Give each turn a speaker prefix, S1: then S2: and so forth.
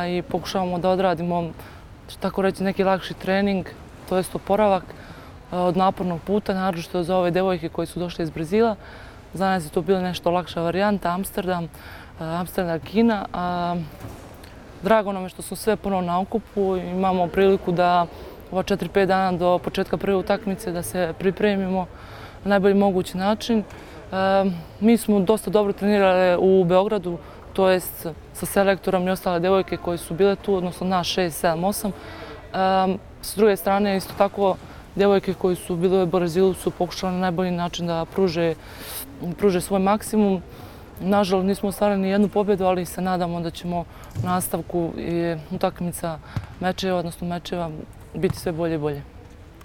S1: i pokušavamo da odradimo, tako reći, neki lakši trening, to jest oporavak od napornog puta, naročito za ove devojke koje su došle iz Brazila. Za nas je to bila nešto lakša varijanta, Amsterdam, Kina. Drago nam je što smo sve ponovno na okupu, imamo priliku da ova 4-5 dana do početka prve utakmice da se pripremimo na najbolji mogući način. Mi smo dosta dobro trenirali u Beogradu, to jest sa selektorom i ostale devojke koje su bile tu, odnosno nas 6, 7, 8. S druge strane, isto tako, devojke koji su bile u Brazilu su pokušale na najbolji način da pruže svoj maksimum. Nažalost, nismo ostvarili ni jednu pobjedu, ali se nadamo da ćemo u nastavku utakmica mečeva, odnosno mečeva, biti sve bolje i bolje.